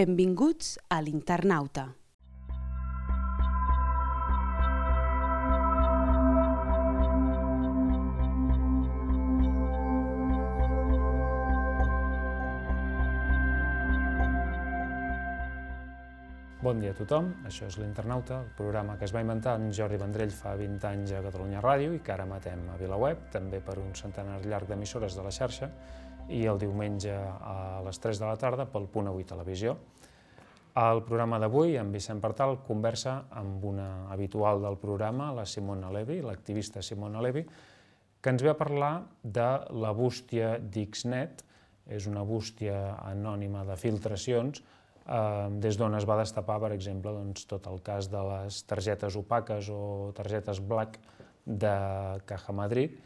Benvinguts a l'Internauta. Bon dia a tothom, això és l'Internauta, el programa que es va inventar en Jordi Vendrell fa 20 anys a Catalunya Ràdio i que ara emetem a VilaWeb, també per un centenar llarg d'emissores de la xarxa, i el diumenge a les 3 de la tarda pel Punt Avui Televisió. El programa d'avui, en Vicent Partal, conversa amb una habitual del programa, la Simona Levi, l'activista Simona Levi, que ens ve a parlar de la bústia d'Xnet, és una bústia anònima de filtracions, des d'on es va destapar, per exemple, tot el cas de les targetes opaques o targetes black de Caja Madrid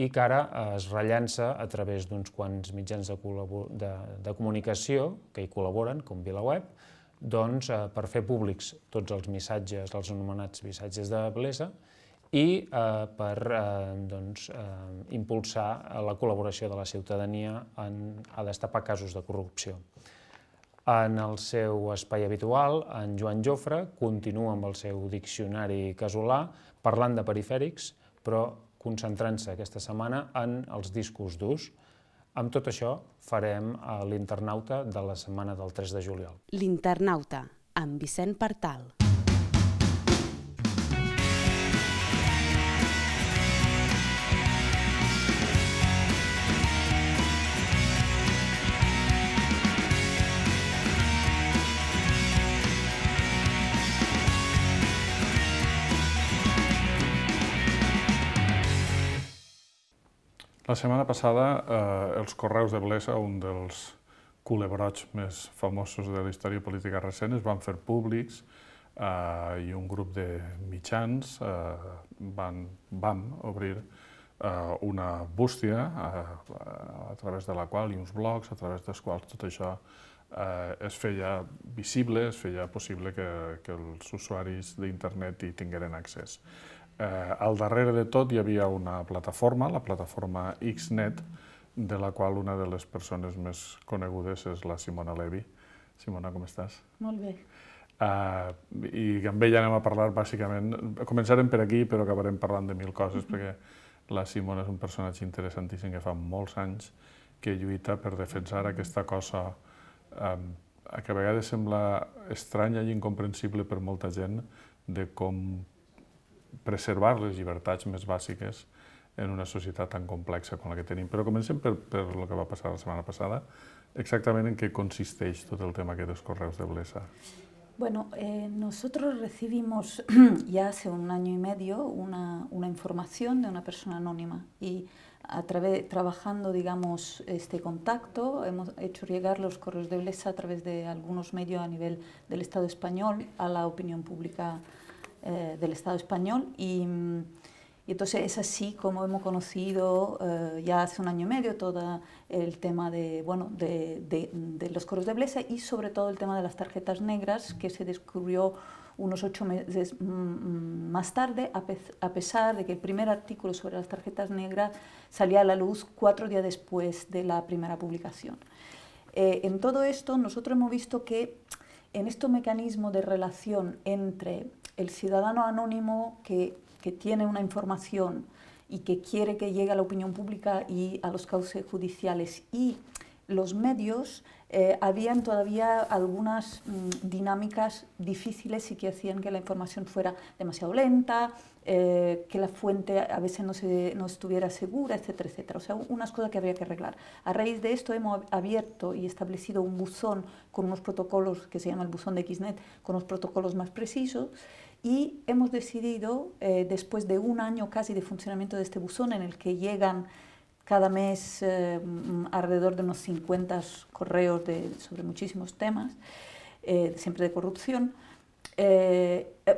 i que ara es rellança a través d'uns quants mitjans de comunicació que hi col·laboren, com VilaWeb, per fer públics tots els missatges, els anomenats missatges de blesa, i per impulsar la col·laboració de la ciutadania a destapar casos de corrupció. En el seu espai habitual, en Joan Jofre continua amb el seu diccionari casolà, parlant de perifèrics, però concentrant-se aquesta setmana en els discos durs. Amb tot això farem l'Internauta de la setmana del 3 de juliol. L'Internauta, amb Vicent Partal. La setmana passada, els correus de Blesa, un dels culebrots més famosos de la història política recent, es van fer públics i un grup de mitjans vam obrir una bústia a través de la qual, i uns blogs, a través dels quals tot això es feia visible, es feia possible que els usuaris d'internet hi tingueren accés. Al darrere de tot hi havia una plataforma, la plataforma Xnet, de la qual una de les persones més conegudes és la Simona Levi. Simona, com estàs? Molt bé. I amb ella anem a parlar, bàsicament, començarem per aquí, però acabarem parlant de mil coses, perquè la Simona és un personatge interessantíssim que fa molts anys que lluita per defensar aquesta cosa que a vegades sembla estranya i incomprensible per molta gent, de com preservar les llibertats més bàsiques en una societat tan complexa com la que tenim. Però comencem per el que va passar la setmana passada. Exactament en què consisteix tot el tema aquest dels correus de Blesa. Bueno, nosotros recibimos ya hace un año y medio una información de una persona anónima y trabajando, digamos, este contacto, hemos hecho llegar los correos de Blesa a través de algunos medios a nivel del Estado español a la opinión pública del Estado español y entonces es así como hemos conocido ya hace un año y medio todo el tema de los correos de Blesa y sobre todo el tema de las tarjetas negras que se descubrió unos 8 meses más tarde, a pesar de que el primer artículo sobre las tarjetas negras salía a la luz 4 días después de la primera publicación. En todo esto nosotros hemos visto que en este mecanismo de relación entre el ciudadano anónimo que tiene una información y que quiere que llegue a la opinión pública y a los cauces judiciales y los medios, habían todavía algunas dinámicas difíciles y que hacían que la información fuera demasiado lenta, que la fuente a veces no estuviera segura, etcétera, etcétera. O sea, unas cosas que habría que arreglar. A raíz de esto hemos abierto y establecido un buzón con unos protocolos que se llama el buzón de Xnet, con unos protocolos más precisos, y hemos decidido, después de un año casi de funcionamiento de este buzón, en el que llegan cada mes alrededor de unos 50 correos sobre muchísimos temas, siempre de corrupción,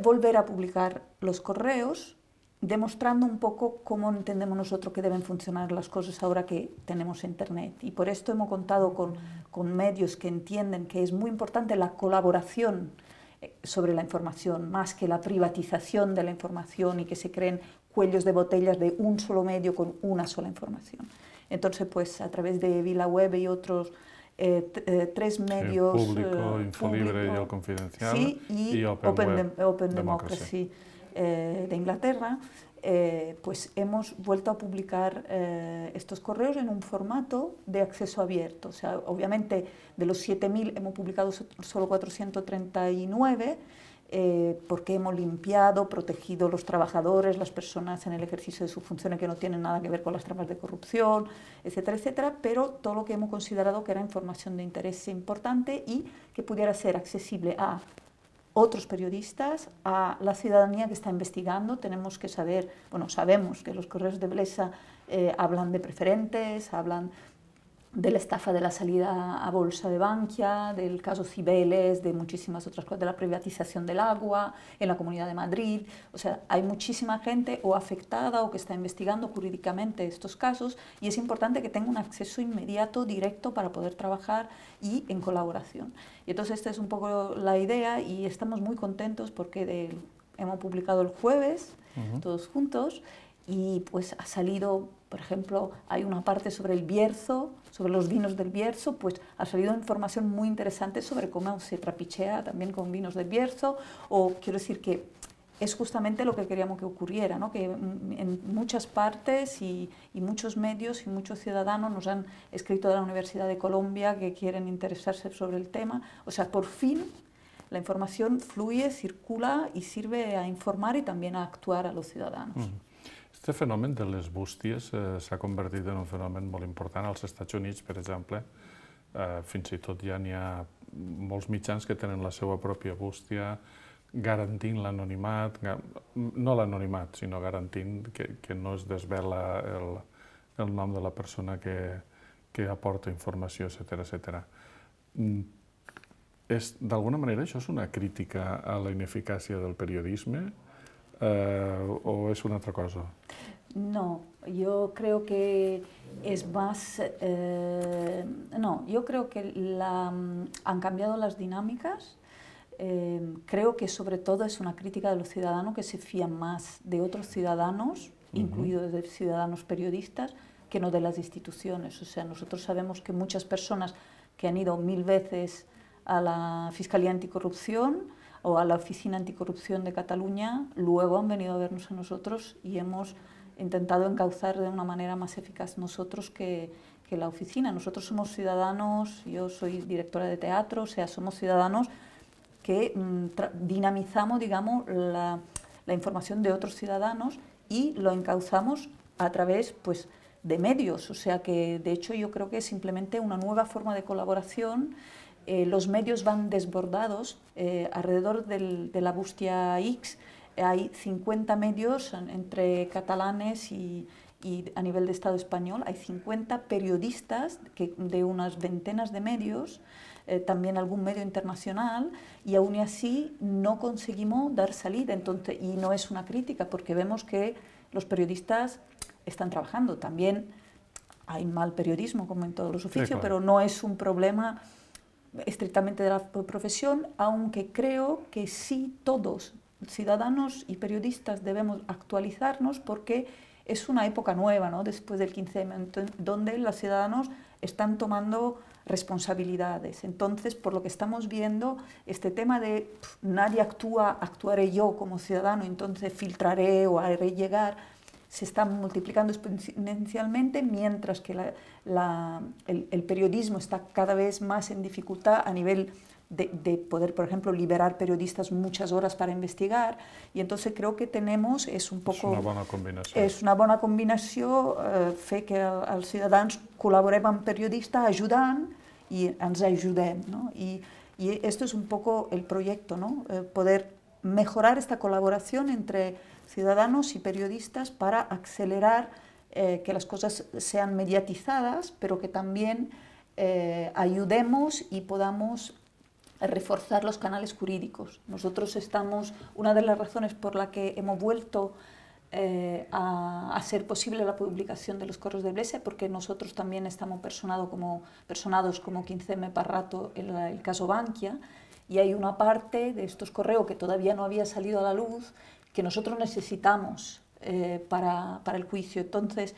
volver a publicar los correos, demostrando un poco cómo entendemos nosotros que deben funcionar las cosas ahora que tenemos Internet. Y por esto hemos contado con medios que entienden que es muy importante la colaboración sobre la información, más que la privatización de la información y que se creen cuellos de botellas de un solo medio con una sola información. Entonces, pues a través de VilaWeb y otros tres medios, Público, Infolibre y El Confidencial, sí, y Open Democracy de Inglaterra, pues hemos vuelto a publicar estos correos en un formato de acceso abierto. O sea, obviamente de los 7.000 hemos publicado solo 439, porque hemos limpiado, protegido los trabajadores, las personas en el ejercicio de su funciones que no tienen nada que ver con las tramas de corrupción, etcétera, etcétera, pero todo lo que hemos considerado que era información de interés importante y que pudiera ser accesible a otros periodistas, a la ciudadanía que está investigando. Tenemos que saber, bueno, sabemos que los correos de Blesa hablan de preferentes, hablan de la estafa de la salida a bolsa de Bankia, del caso Cibeles, de muchísimas otras cosas, de la privatización del agua en la Comunidad de Madrid. O sea, hay muchísima gente o afectada o que está investigando jurídicamente estos casos y es importante que tenga un acceso inmediato, directo, para poder trabajar y en colaboración. Y entonces esta es un poco la idea y estamos muy contentos porque hemos publicado el jueves, todos juntos, y pues ha salido, por ejemplo, hay una parte sobre el Bierzo, sobre los vinos del Bierzo, pues ha salido información muy interesante sobre cómo se trapichea también con vinos del Bierzo, o quiero decir que es justamente lo que queríamos que ocurriera, ¿no? Que en muchas partes y muchos medios y muchos ciudadanos nos han escrito de la Universidad de Colombia que quieren interesarse sobre el tema. O sea, por fin la información fluye, circula y sirve a informar y también a actuar a los ciudadanos. Este fenomen de les bústies s'ha convertit en un fenomen molt important als Estats Units, per exemple. Fins i tot ja n'hi ha molts mitjans que tenen la seva pròpia bústia, garantint l'anonimat, no l'anonimat, sinó garantint que no es desvela el nom de la persona que aporta informació, etcètera. D'alguna manera això és una crítica a la ineficàcia del periodisme o es una otra cosa? No, yo creo que es más... no, yo creo que han cambiado las dinámicas. Creo que sobre todo es una crítica de los ciudadanos que se fían más de otros ciudadanos, incluidos de ciudadanos periodistas, que no de las instituciones. O sea, nosotros sabemos que muchas personas que han ido 1000 veces a la Fiscalía Anticorrupción o a la Oficina Anticorrupción de Cataluña, luego han venido a vernos a nosotros y hemos intentado encauzar de una manera más eficaz nosotros que la oficina. Nosotros somos ciudadanos, yo soy directora de teatro, o sea, somos ciudadanos que dinamizamos, digamos, la información de otros ciudadanos y lo encauzamos a través, pues, de medios. O sea que, de hecho, yo creo que es simplemente una nueva forma de colaboración. Los medios van desbordados. Alrededor de la Bustia X hay 50 medios entre catalanes y a nivel de Estado español. Hay 50 periodistas de unas ventenas de medios, también algún medio internacional, y aún así no conseguimos dar salida. Entonces, y no es una crítica, porque vemos que los periodistas están trabajando. También hay mal periodismo, como en todos los oficios, sí, claro, pero no es un problema estrictamente de la profesión, aunque creo que sí todos, ciudadanos y periodistas, debemos actualizarnos porque es una época nueva, ¿no? Después del 15M, donde los ciudadanos están tomando responsabilidades. Entonces, por lo que estamos viendo, este tema de nadie actúa, actuaré yo como ciudadano, entonces filtraré o haré llegar, se está multiplicando exponencialmente, mientras que el periodismo está cada vez más en dificultad a nivel de poder, por ejemplo, liberar periodistas muchas horas para investigar, y entonces creo que tenemos, és una bona combinació. És una bona combinació, fer que els ciutadans col·laborem amb periodistes ajudant i ens ajudem, ¿no? Y esto es un poco el proyecto, ¿no? Poder mejorar esta colaboración entre ciudadanos y periodistas para acelerar que las cosas sean mediatizadas, pero que también ayudemos y podamos reforzar los canales jurídicos. Nosotros estamos, una de las razones por la que hemos vuelto a hacer posible la publicación de los correos de Blesa, porque nosotros también estamos personados como 15M para rato en el caso Bankia, y hay una parte de estos correos que todavía no había salido a la luz que nosotros necesitamos para el juicio. Entonces,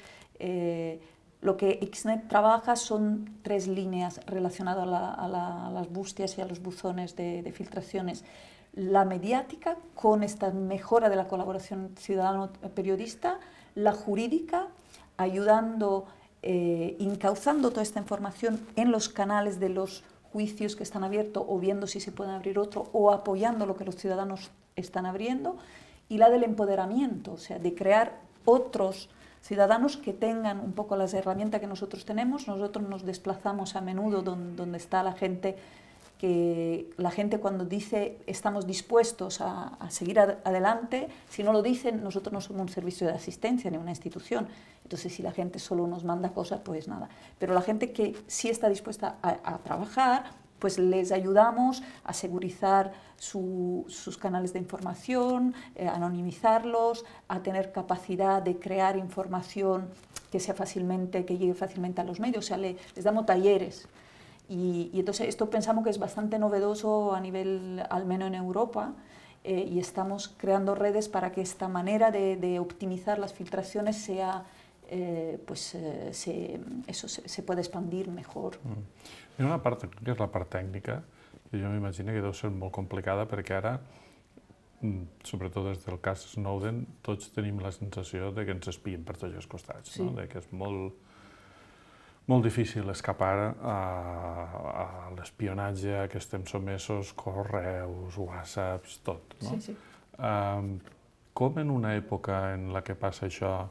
lo que Xnet trabaja son 3 líneas relacionadas a las bustias y a los buzones de filtraciones. La mediática, con esta mejora de la colaboración ciudadano-periodista, la jurídica, ayudando, encauzando toda esta información en los canales de los juicios que están abiertos o viendo si se pueden abrir otro o apoyando lo que los ciudadanos están abriendo, y la del empoderamiento, o sea, de crear otros ciudadanos que tengan un poco las herramientas que nosotros tenemos. Nosotros nos desplazamos a menudo donde está la gente, que la gente cuando dice estamos dispuestos a seguir adelante, si no lo dicen, nosotros no somos un servicio de asistencia ni una institución, entonces si la gente solo nos manda cosas, pues nada. Pero la gente que sí está dispuesta a trabajar, pues les ayudamos a segurizar sus canales de información, anonimizarlos, a tener capacidad de crear información que llegue fácilmente a los medios, o sea, les damos talleres. Y entonces esto pensamos que es bastante novedoso a nivel, al menos en Europa, y estamos creando redes para que esta manera de optimizar las filtraciones sea, se pueda expandir mejor. Hi ha una part que és la part tècnica, que jo m'imagino que deu ser molt complicada, perquè ara, sobretot des del cas Snowden, tots tenim la sensació de que ens espien per tots els costats, no? De que és molt difícil escapar a l'espionatge a què estem sotmesos, correus, whatsapps, tot. No? Sí. Com en una època en la que passa això,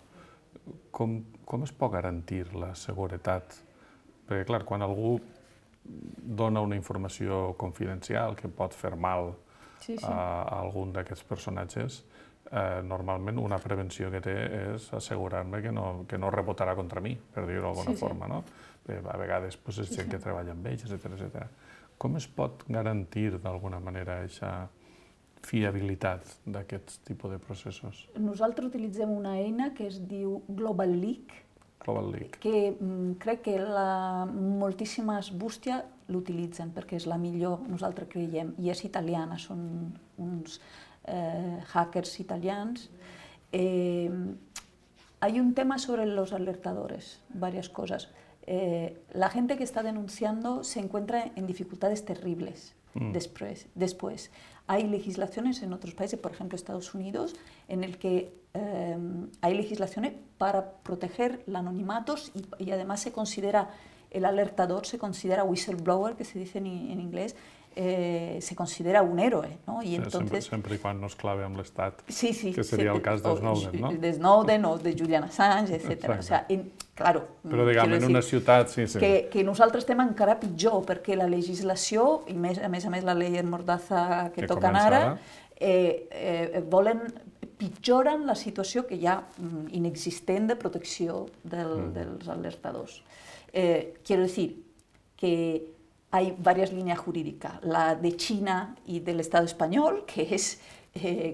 com es pot garantir la seguretat? Perquè, clar, quan algú dona una informació confidencial que pot fer mal a algun d'aquests personatges, normalment una prevenció que té és assegurar-me que no rebotarà contra mi, per dir-ho d'alguna forma, no? A vegades és gent que treballa amb ells, etc. Com es pot garantir d'alguna manera aquesta fiabilitat d'aquest tipus de processos? Nosaltres utilitzem una eina que es diu Global Leak, que crec que moltíssimes bústies l'utilitzen perquè és la millor, nosaltres creiem, i és italiana, són uns hackers italians. Hay un tema sobre los alertadores, varias cosas. La gente que está denunciando se encuentra en dificultades terribles después. Hay legislaciones en otros países, por ejemplo Estados Unidos, en el que hay legislaciones para proteger los anonimatos y además el alertador se considera whistleblower, que se dice en inglés, se considera un héroe, ¿no? Y entonces, sempre i quan no es clave amb l'Estat, que seria el cas de Snowden, no? De Snowden o de Julian Assange, etc. O sea, claro, però diguem, en una ciutat, sí. Que nosaltres estem encara pitjor, perquè la legislació, i a més la llei Mordaza que toquen ara, pitjoren la situació que hi ha inexistent de protecció dels alertadors. Quiero decir que hay varias líneas jurídicas, la de China y del Estado español, que es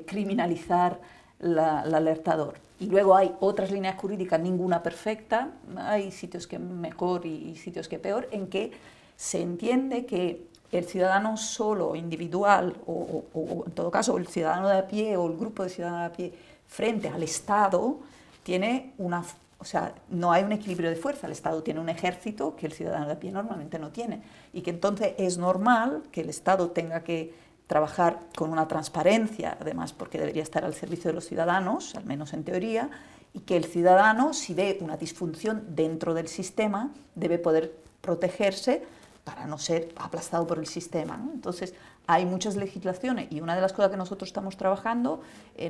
criminalizar el alertador. Y luego hay otras líneas jurídicas, ninguna perfecta, hay sitios que mejor y sitios que peor, en que se entiende que el ciudadano solo, individual, o en todo caso el ciudadano de a pie o el grupo de ciudadanos de a pie frente al Estado, tiene una... O sea, no hay un equilibrio de fuerza, el Estado tiene un ejército que el ciudadano de a pie normalmente no tiene, y que entonces es normal que el Estado tenga que trabajar con una transparencia, además porque debería estar al servicio de los ciudadanos, al menos en teoría, y que el ciudadano, si ve una disfunción dentro del sistema, debe poder protegerse para no ser aplastado por el sistema, ¿no? Entonces, hay muchas legislaciones y una de las cosas que nosotros estamos trabajando,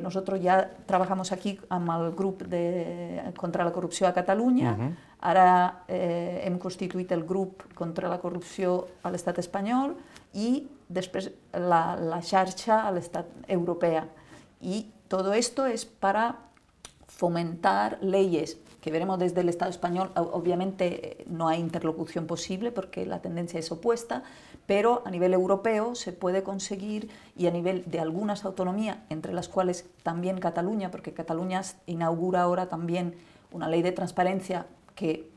nosotros ya trabajamos aquí amb el grup contra la corrupció a Catalunya, ara hem constituït el grup contra la corrupció a l'estat espanyol i després la xarxa a l'estat europea. Y todo esto es para fomentar leyes que veremos desde el Estado español. Obviamente no hay interlocución posible porque la tendencia es opuesta, pero a nivel europeo se puede conseguir, y a nivel de algunas autonomías, entre las cuales también Cataluña, porque Cataluña inaugura ahora también una ley de transparencia que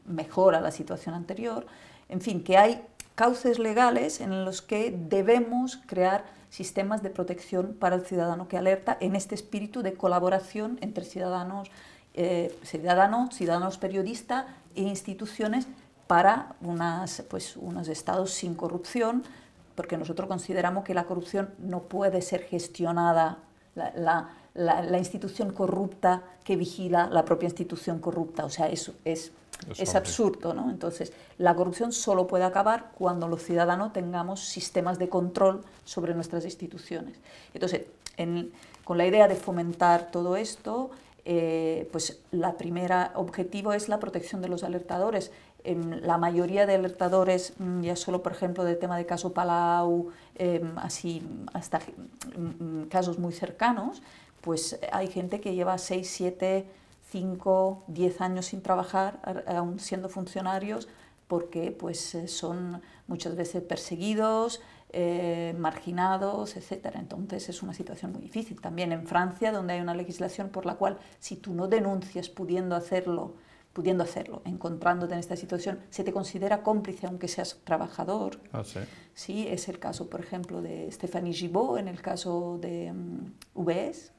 mejora la situación anterior. En fin, que hay cauces legales en los que debemos crear sistemas de protección para el ciudadano que alerta en este espíritu de colaboración entre ciudadanos ciudadanos periodistas e instituciones para unos estados sin corrupción, porque nosotros consideramos que la corrupción no puede ser gestionada, la institución corrupta que vigila la propia institución corrupta, o sea, es absurdo, ¿no? Entonces, la corrupción solo puede acabar cuando los ciudadanos tengamos sistemas de control sobre nuestras instituciones. Entonces, con la idea de fomentar todo esto, pues la primera objetivo es la protección de los alertadores. La mayoría de alertadores, ya solo por ejemplo del tema de caso Palau, así hasta casos muy cercanos, pues hay gente que lleva 6, 7, 5, 10 años sin trabajar, aún siendo funcionarios, porque pues son muchas veces perseguidos, marginados, etc. Entonces es una situación muy difícil. También en Francia, donde hay una legislación por la cual si tú no denuncias pudiendo hacerlo, encontrándote en esta situación, se te considera cómplice aunque seas trabajador. Ah, sí. Sí, es el caso, por ejemplo, de Stéphanie Gibaud, en el caso de UBS.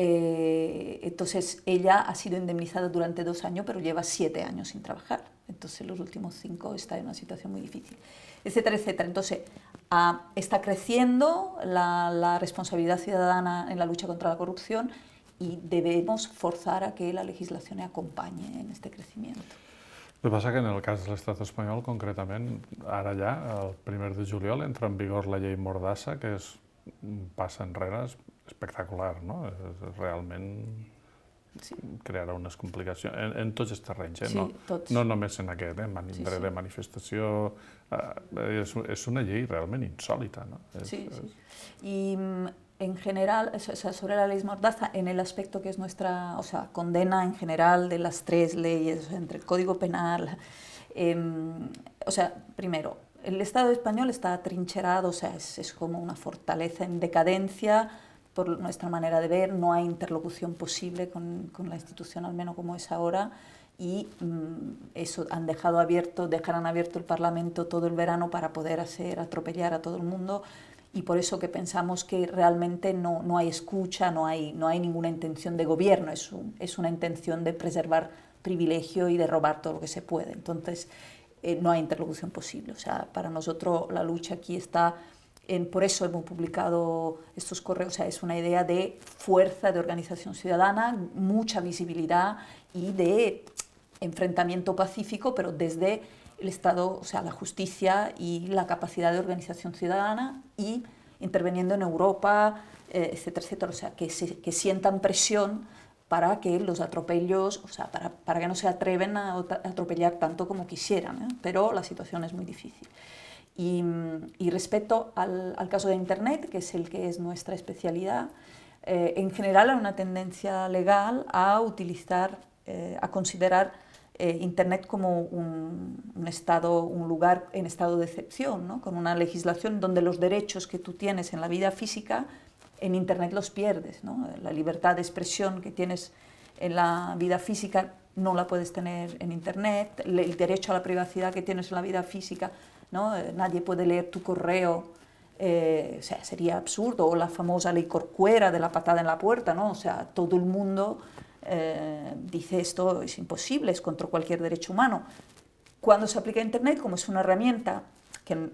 Entonces ella ha sido indemnizada durante 2 años, pero lleva 7 años sin trabajar. Entonces los últimos 5 está en una situación muy difícil, etcétera, etcétera. Entonces está creciendo la responsabilidad ciudadana en la lucha contra la corrupción y debemos forzar a que la legislación acompañe en este crecimiento. El que passa que en el cas de l'estat espanyol, concretament, ara ja, el 1 de juliol, entra en vigor la llei Mordassa, que és un pas enrere espectacular, no? Realment crearà unes complicacions en tots els terrenys, Sí, tots. no només en aquest, dret de manifestació. És una llei realment insòlita, no? Sí. Y en general, sobre la ley Mordaza, en el aspecto que es nuestra, condena en general de las 3 leyes, entre el Código Penal, primero, el Estado español está atrincherado, es como una fortaleza en decadencia, por nuestra manera de ver, no hay interlocución posible con la institución, al menos como es ahora, y eso dejarán abierto el Parlamento todo el verano para poder atropellar a todo el mundo, y por eso que pensamos que realmente no hay escucha, no hay ninguna intención de gobierno, es una intención de preservar privilegio y de robar todo lo que se puede. Entonces, no hay interlocución posible. O sea, para nosotros la lucha aquí está, por eso hemos publicado estos correos, es una idea de fuerza de organización ciudadana, mucha visibilidad y de enfrentamiento pacífico, pero desde el Estado, la justicia y la capacidad de organización ciudadana y interviniendo en Europa, etcétera, etcétera. Que sientan presión para que los atropellos, para que no se atreven a atropellar tanto como quisieran, pero la situación es muy difícil. Y respecto al caso de Internet, que es el que es nuestra especialidad, en general hay una tendencia legal a considerar Internet como un lugar en estado de excepción, ¿no? Con una legislación donde los derechos que tú tienes en la vida física, en Internet los pierdes, ¿no? La libertad de expresión que tienes en la vida física no la puedes tener en Internet, el derecho a la privacidad que tienes en la vida física, ¿no? Nadie puede leer tu correo, sería absurdo, o la famosa ley Corcuera de la patada en la puerta, ¿no? Todo el mundo dice esto es imposible, es contra cualquier derecho humano. Cuando se aplica a Internet, como es una herramienta que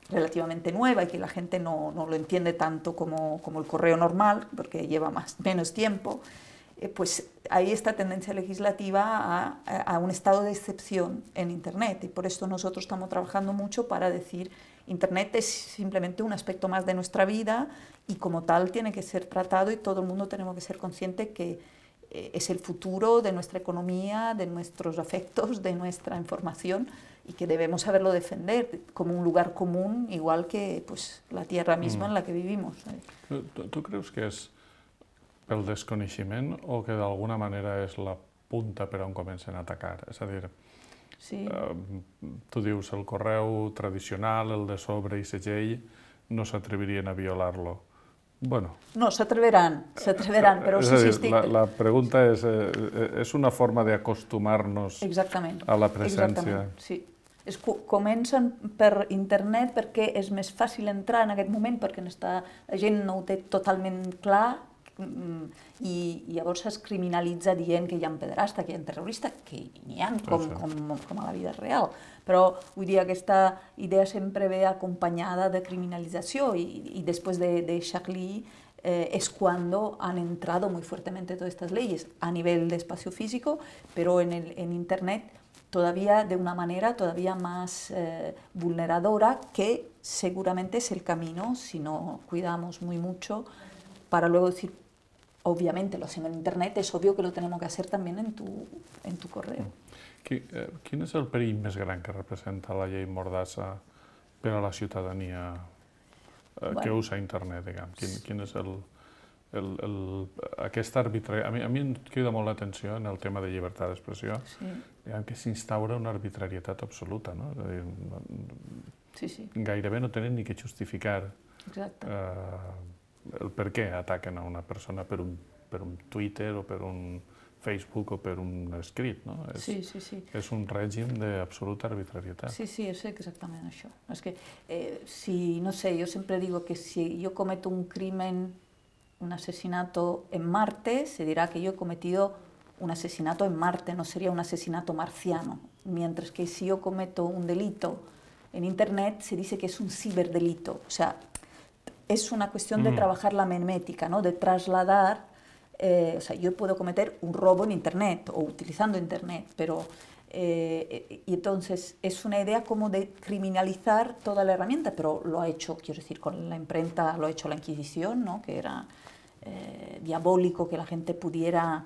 relativamente nueva y que la gente no lo entiende tanto como el correo normal, porque lleva menos tiempo, pues hay esta tendencia legislativa a un estado de excepción en Internet, y por esto nosotros estamos trabajando mucho para decir Internet es simplemente un aspecto más de nuestra vida y como tal tiene que ser tratado, y todo el mundo tenemos que ser conscientes que es el futuro de nuestra economía, de nuestros afectos, de nuestra información, y que debemos saberlo defender como un lugar común, igual que pues, la tierra misma en la que vivimos. Tu creus que és pel desconeixement o que d'alguna manera és la punta per on comencen a atacar? És a dir, sí. Tu dius el correu tradicional, el de sobre i segell, no s'atrevirien a violar-lo. Bueno. No, s'atreveran, però sí, sí estic... La pregunta és una forma d'acostumar-nos a la presència. Exactament, sí. Comencen per internet perquè és més fàcil entrar en aquest moment, perquè la gent no ho té totalment clar, i llavors es criminalitza dient que hi ha pederasta, que hi ha terrorista, que n'hi ha com a la vida real. Però vull dir, aquesta idea sempre ve acompanyada de criminalització y después de Charlie es cuando han entrado muy fuertemente todas estas leyes a nivel de espacio físico, pero en Internet todavía de una manera todavía más vulneradora, que seguramente es el camino, si no cuidamos muy mucho, para luego decir, obviamente lo hacemos en Internet, es obvio que lo tenemos que hacer también en tu correo. Quin és el perill més gran que representa la llei Mordassa per a la ciutadania que usa Internet, diguem? Quin és aquesta arbitrarietat? A mi em crida molt l'atenció en el tema de llibertat d'expressió, que s'instaura una arbitrarietat absoluta, no? Gairebé no tenen ni que justificar el per què ataquen a una persona per un Twitter o per un Facebook o per un escrit, no? És un règim d'absoluta arbitrarietat. Sí, és exactament això. És que, no sé, yo siempre digo que si yo cometo un crimen, un asesinato en Marte, se dirá que yo he cometido un asesinato en Marte, no sería un asesinato marciano. Mientras que si yo cometo un delito en Internet, se dice que es un ciberdelito. O sea, es una cuestión de trabajar la memética, ¿no? De trasladar. O sea, yo puedo cometer un robo en Internet o utilizando Internet, pero y entonces es una idea como de criminalizar toda la herramienta, pero lo ha hecho, quiero decir, con la imprenta, lo ha hecho la Inquisición, ¿no? Que era diabólico que la gente pudiera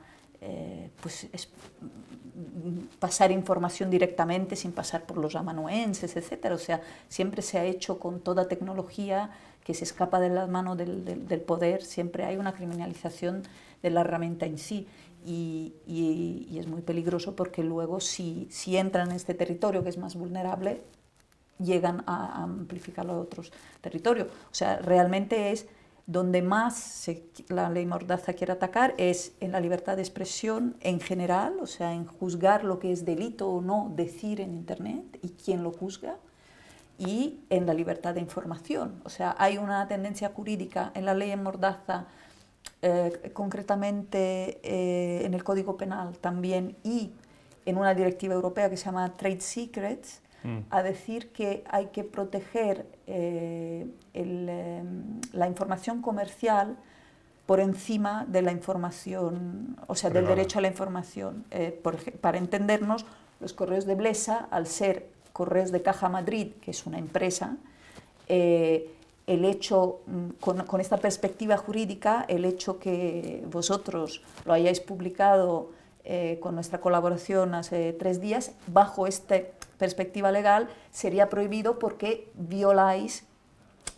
pasar información directamente sin pasar por los amanuenses, etc. O sea, siempre se ha hecho con toda tecnología que se escapa de las manos del poder, siempre hay una criminalización de la herramienta en sí, y es muy peligroso porque luego si entran en este territorio que es más vulnerable, llegan a amplificarlo a otros territorios. O sea, realmente es donde más la ley Mordaza quiere atacar, es en la libertad de expresión en general, o sea, en juzgar lo que es delito o no decir en Internet y quién lo juzga, y en la libertad de información. O sea, hay una tendencia jurídica en la ley Mordaza, concretamente en el Código Penal también, y en una directiva europea que se llama Trade Secrets, a decir que hay que proteger la información comercial por encima de la información, o sea, del derecho a la información. Para entendernos, los correos de Blesa, al ser Correos de Caja Madrid, que es una empresa, el hecho, con esta perspectiva jurídica, el hecho que vosotros lo hayáis publicado con nuestra colaboración hace 3 días, bajo esta perspectiva legal, sería prohibido porque violáis,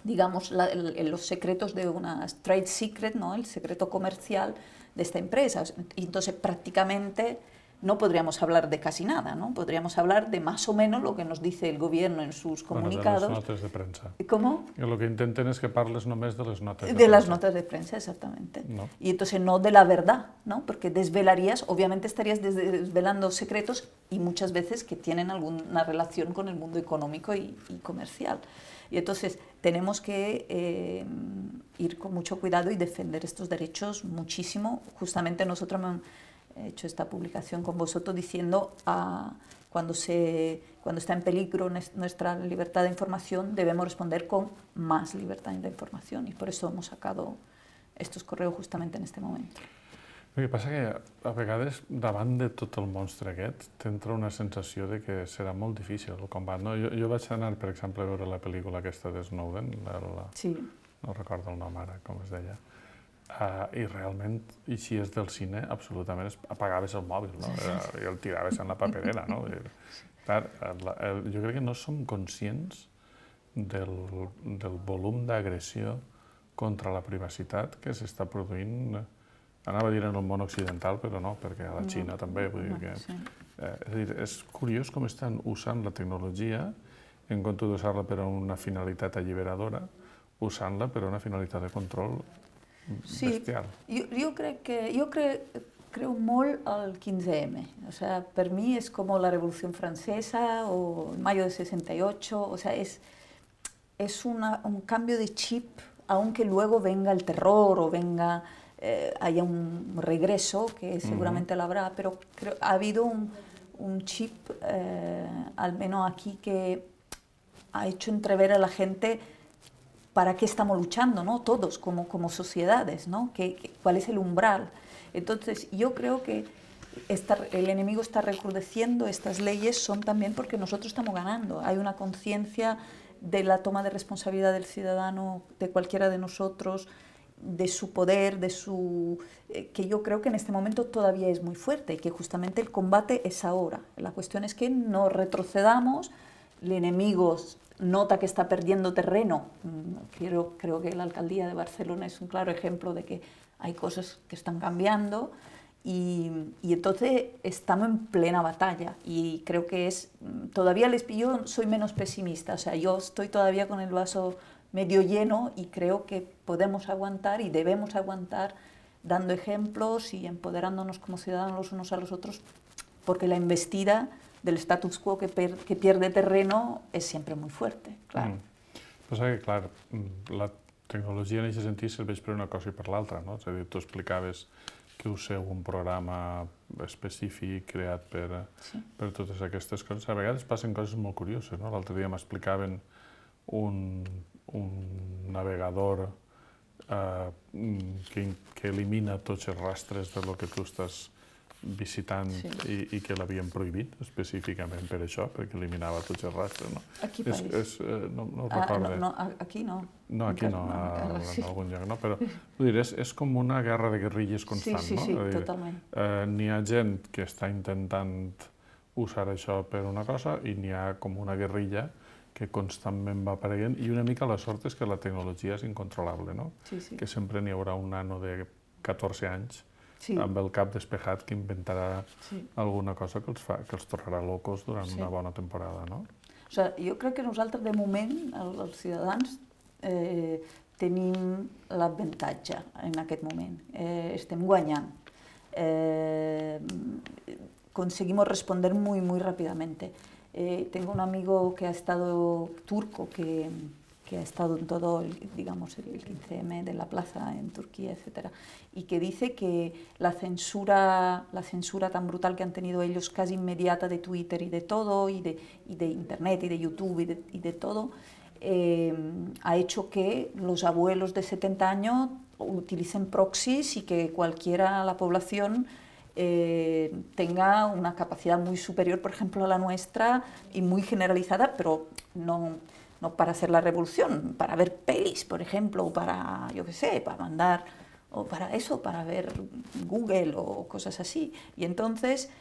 digamos, los secretos de una trade secret, ¿no? El secreto comercial de esta empresa. Y entonces, prácticamente, no podríamos hablar de casi nada, ¿no? Podríamos hablar de más o menos lo que nos dice el gobierno en sus comunicados. De les notes de premsa. ¿Cómo? Lo que intenten es que parles només de les notes de premsa. De las notas de prensa, exactamente. No. Y entonces no de la verdad, ¿no? Porque desvelarías, obviamente estarías desvelando secretos y muchas veces que tienen alguna relación con el mundo económico y comercial. Y entonces tenemos que ir con mucho cuidado y defender estos derechos muchísimo. Justamente nosotros he hecho esta publicación con vosotros diciendo cuando está en peligro nuestra libertad de información, debemos responder con más libertad de información, y por eso hemos sacado estos correos justamente en este momento. El que passa que a vegades davant de tot el monstre aquest t'entra una sensació de que serà molt difícil el combat. No? Jo vaig anar, per exemple, a veure la pel·lícula aquesta de Snowden, no recordo el nom ara, com es deia, i realment, i si és del cine, absolutament apagaves el mòbil, no? I el tiraves en la paperera, no? Jo crec que no som conscients del volum d'agressió contra la privacitat que s'està produint, anava a dir en el món occidental, però no, perquè a la Xina també, vull dir que... És a dir, és curiós com estan usant la tecnologia, en comptes d'usar-la per a una finalitat alliberadora, usant-la per a una finalitat de control bestial. Jo creo molt al 15M. O sea, per mi es como la Revolución Francesa o el mayo de 68. O sea, es un cambio de chip, aunque luego venga el terror o venga haya un regreso, que seguramente lo habrá, pero ha habido un chip, al menos aquí, que ha hecho entrever a la gente para qué estamos luchando, ¿no? Todos como sociedades, ¿no? ¿Cuál es el umbral? Entonces, yo creo que el enemigo está recrudeciendo, estas leyes son también porque nosotros estamos ganando. Hay una conciencia de la toma de responsabilidad del ciudadano, de cualquiera de nosotros, de su poder, que yo creo que en este momento todavía es muy fuerte y que justamente el combate es ahora. La cuestión es que no retrocedamos, el enemigo nota que está perdiendo terreno. Creo que la alcaldía de Barcelona es un claro ejemplo de que hay cosas que están cambiando y entonces estamos en plena batalla y creo que todavía yo soy menos pesimista, o sea, yo estoy todavía con el vaso medio lleno y creo que podemos aguantar y debemos aguantar dando ejemplos y empoderándonos como ciudadanos los unos a los otros, porque la embestida del status quo que pierde terreno és sempre molt fuerte, clar. Passa que, clar, la tecnologia en aquest sentit serveix per una cosa i per l'altra, no? És a dir, tu explicaves que useu un programa específic creat per totes aquestes coses. A vegades passen coses molt curioses, no? L'altre dia m'explicaven un navegador que elimina tots els rastres de lo que tu estàs visitant i que l'havien prohibit específicament per això, perquè eliminava tots els rastres. A quin país? No ho recordo. Aquí no. No, aquí no, en algun lloc no, però vull dir, és com una guerra de guerrilles constant, no? Sí, totalment. N'hi ha gent que està intentant usar això per una cosa i n'hi ha com una guerrilla que constantment va apareguent i una mica la sort és que la tecnologia és incontrolable, no? Que sempre n'hi haurà un nano de 14 anys amb el cap despejat que inventarà alguna cosa que els tornarà locos durant una bona temporada, no? O sigui, jo crec que nosaltres, de moment, els ciutadans, tenim l'avantatge en aquest moment. Estem guanyant. Conseguimos responder muy, muy rápidamente. Tengo un amigo que ha estado turco, que ha estado en todo, digamos, el 15M de la plaza en Turquía, etcétera, y que dice que la censura tan brutal que han tenido ellos, casi inmediata, de Twitter y de todo, y de Internet y de YouTube y de todo, ha hecho que los abuelos de 70 años utilicen proxies y que cualquiera, la población, tenga una capacidad muy superior, por ejemplo, a la nuestra y muy generalizada, pero no para hacer la revolución, para ver pelis, por ejemplo, o para, yo qué sé, para mandar, o para eso, para ver Google o cosas así. Y entonces,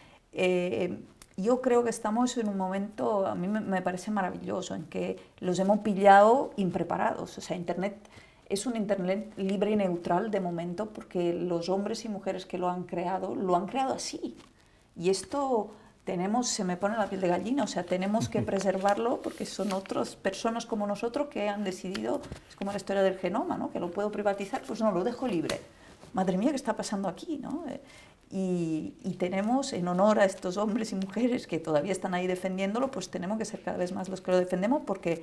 yo creo que estamos en un momento, a mí me parece maravilloso, en que los hemos pillado impreparados. O sea, Internet es un Internet libre y neutral de momento, porque los hombres y mujeres que lo han creado así. Y esto se me pone la piel de gallina, o sea, tenemos que preservarlo porque son otras personas como nosotros que han decidido, es como la historia del genoma, ¿no? Que lo puedo privatizar, pues no, lo dejo libre. Madre mía, ¿qué está pasando aquí, no? Y tenemos, en honor a estos hombres y mujeres que todavía están ahí defendiéndolo, pues tenemos que ser cada vez más los que lo defendemos porque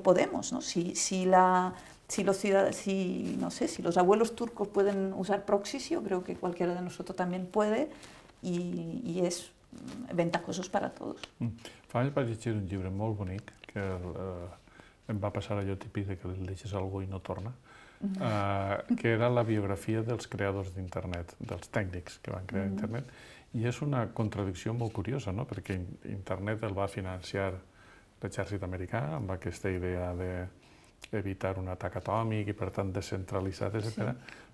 podemos, ¿no? Si los abuelos turcos pueden usar proxies, yo creo que cualquiera de nosotros también puede y es ventajosos para tots. Fa anys vaig llegir un llibre molt bonic que em va passar allò típic que li llegeix algú i no torna, que era la biografia dels creadors d'internet, dels tècnics que van crear internet, i és una contradicció molt curiosa, no? Perquè internet el va financiar l'exèrcit americà amb aquesta idea d'evitar un atac atòmic i per tant descentralitzat, etc.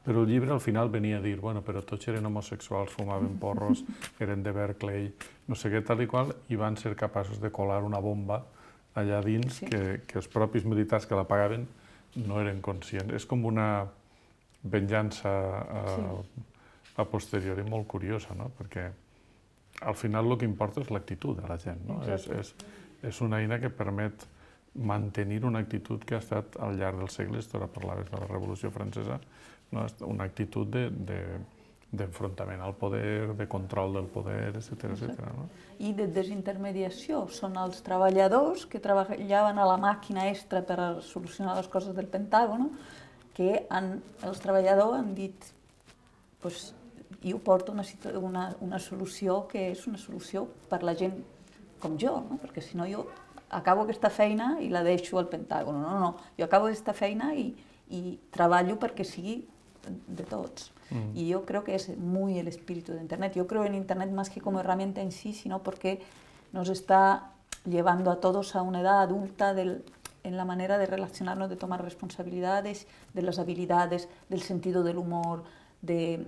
Però el llibre al final venia a dir, bueno, però tots eren homosexuals, fumaven porros, eren de Berkeley, no sé què, tal i qual, i van ser capaços de colar una bomba allà dins que els propis militars que la pagaven no eren conscients. És com una venjança a posteriori molt curiosa, no? Perquè al final el que importa és l'actitud de la gent, no? És una eina que permet mantenir una actitud que ha estat al llarg dels segles, tu ara parlaves de la Revolució Francesa, una actitud d'enfrontament al poder, de control del poder, etc. I de desintermediació. Són els treballadors que treballaven a la màquina extra per solucionar les coses del Pentàgon, que els treballadors han dit pues, jo porto una solució que és una solució per la gent com jo, no? Perquè si no jo acabo aquesta feina i la deixo al Pentàgon. No, jo acabo aquesta feina y trabajo perquè sigui de todos. Y yo creo que es muy el espíritu de Internet. Yo creo en Internet más que como herramienta en sí, sino porque nos está llevando a todos a una edad adulta en la manera de relacionarnos, de tomar responsabilidades, de las habilidades, del sentido del humor, de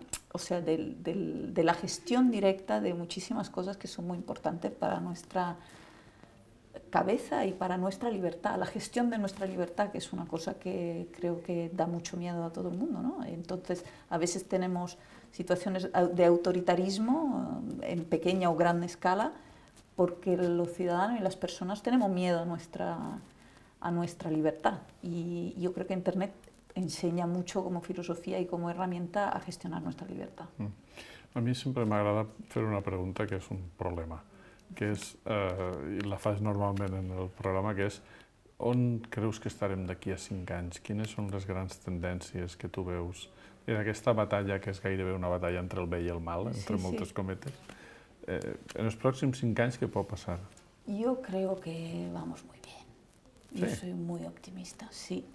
la gestión directa de muchísimas cosas que son muy importantes para nuestra cabeza y para nuestra libertad, la gestión de nuestra libertad, que es una cosa que creo que da mucho miedo a todo el mundo, ¿no? Entonces, a veces tenemos situaciones de autoritarismo en pequeña o gran escala, porque los ciudadanos y las personas tenemos miedo a nuestra libertad. Y yo creo que Internet enseña mucho como filosofía y como herramienta a gestionar nuestra libertad. A mi sempre m'agrada fer una pregunta que és un problema, que és, i la fas normalment en el programa, que és on creus que estarem d'aquí a 5 anys? Quines són les grans tendències que tu veus en aquesta batalla, que és gairebé una batalla entre el bé i el mal, entre moltes cometes? En els pròxims 5 anys, què pot passar? Yo creo que vamos muy bien. Yo soy muy optimista, sí.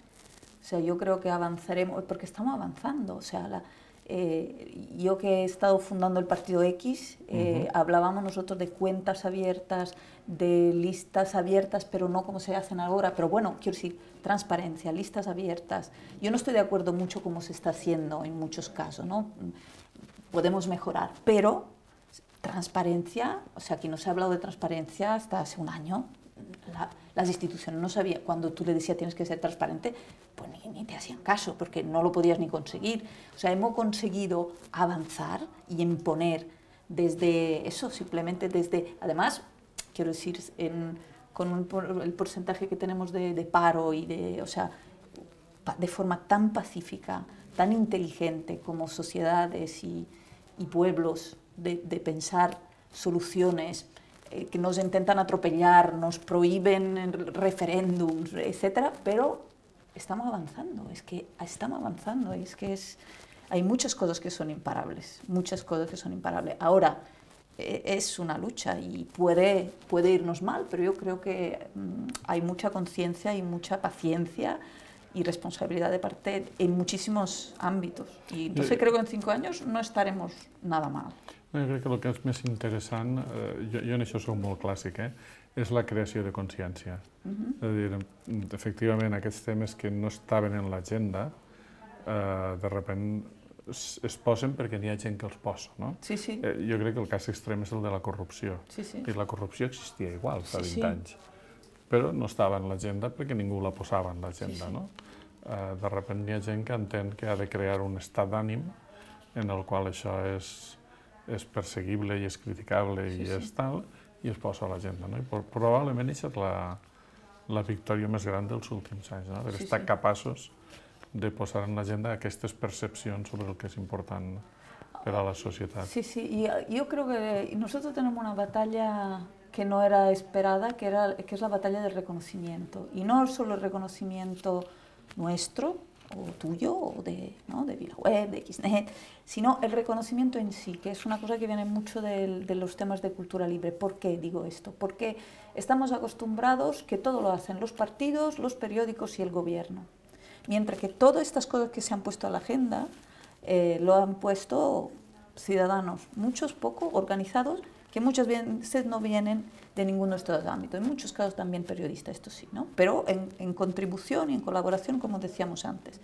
O sea, yo creo que avanzaremos, porque estamos avanzando. O sea, yo que he estado fundando el Partido X, hablábamos nosotros de cuentas abiertas, de listas abiertas, pero no como se hacen ahora. Pero bueno, quiero decir, transparencia, listas abiertas. Yo no estoy de acuerdo mucho como se está haciendo en muchos casos, ¿no? Podemos mejorar, pero transparencia, o sea, aquí no se ha hablado de transparencia hasta hace un año. Las instituciones no sabían, cuando tú le decías tienes que ser transparente, pues ni te hacían caso, porque no lo podías ni conseguir. O sea, hemos conseguido avanzar y imponer desde eso, simplemente desde, además, quiero decir, con el porcentaje que tenemos de paro y o sea, de forma tan pacífica, tan inteligente como sociedades y pueblos, de pensar soluciones que nos intentan atropellar, nos prohíben referéndums, etcétera, pero estamos avanzando, hay muchas cosas que son imparables, Ahora, es una lucha y puede irnos mal, pero yo creo que hay mucha conciencia y mucha paciencia y responsabilidad de parte en muchísimos ámbitos. Y entonces creo que en 5 años no estaremos nada mal. Jo crec que el que és més interessant, jo en això soc molt clàssic, és la creació de consciència. És a dir, efectivament, aquests temes que no estaven en l'agenda, de sobte es posen perquè n'hi ha gent que els posa, no? Sí, sí. Jo crec que el cas extrem és el de la corrupció. Sí, sí. I la corrupció existia igual fa 20 anys, però no estava en l'agenda perquè ningú la posava en l'agenda, no? De sobte n'hi ha gent que entén que ha de crear un estat d'ànim en el qual això és perseguible i és criticable i és tal, i es posa a l'agenda, no? I probablement això és la victòria més gran dels últims anys, no? Haver estat capaços de posar en l'agenda aquestes percepcions sobre el que és important per a la societat. Sí, sí, y yo creo que nosotros tenemos una batalla que no era esperada, que es la batalla del reconocimiento. Y no solo el reconocimiento nuestro, o tuyo, o de VilaWeb, de Xnet, sino el reconocimiento en sí, que es una cosa que viene mucho de los temas de cultura libre. ¿Por qué digo esto? Porque estamos acostumbrados que todo lo hacen los partidos, los periódicos y el gobierno. Mientras que todas estas cosas que se han puesto a la agenda lo han puesto ciudadanos, muchos poco organizados, que muchas veces no vienen de ninguno de estos ámbitos, en muchos casos también periodistas, esto sí, ¿no? Pero en contribución y en colaboración, como decíamos antes.